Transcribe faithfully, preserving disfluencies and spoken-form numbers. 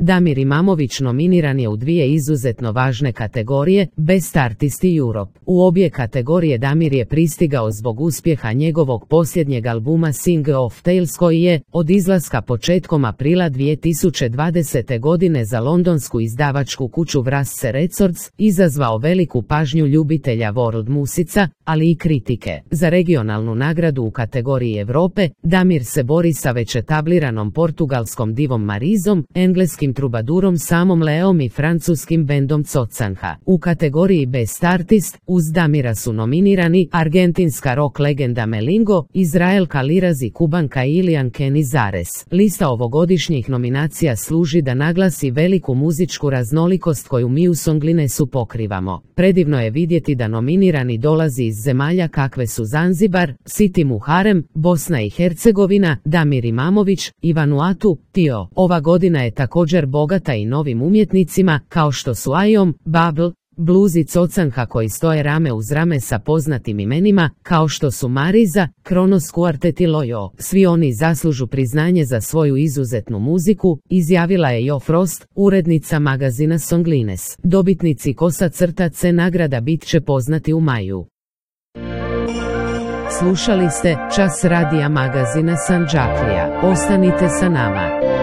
Damir Imamović nominiran je u dvije izuzetno važne kategorije, Best Artist Europe. U obje kategorije Damir je pristigao zbog uspjeha njegovog posljednjeg albuma Sing of Tales koji je, od izlaska početkom aprila dvije tisuće dvadesete. godine za londonsku izdavačku kuću Vrasce Records, izazvao veliku pažnju ljubitelja world musica, ali i kritike. Za regionalnu nagradu u kategoriji Europe, Damir se bori sa već etabliranom portugalskom divom Marizom, engleskim trubadurom Samom Leom i francuskim bendom Cocanha. U kategoriji Best Artist, uz Damira su nominirani argentinska rock legenda Melingo, Izraelka Liraz i kubanka Ilian Canizares. Lista ovogodišnjih nominacija služi da naglasi veliku muzičku raznolikost koju mi u Songlinesu pokrivamo. Predivno je vidjeti da nominirani dolazi iz zemalja kakve su Zanzibar, Siti Muharem, Bosna i Hercegovina, Damir Imamović i Vanuatu, Tio. Ova godina je također bogata i novim umjetnicima, kao što su Ajom, Bubble, Blues i Cocanha koji stoje rame uz rame sa poznatim imenima, kao što su Mariza, Kronos Quartet i Lojo. Svi oni zaslužu priznanje za svoju izuzetnu muziku, izjavila je Jo Frost, urednica magazina Songlines. Dobitnici Kosa crta C nagrada bit će poznati u maju. Slušali ste Čas radija magazina Sandžaklija. Ostanite sa nama.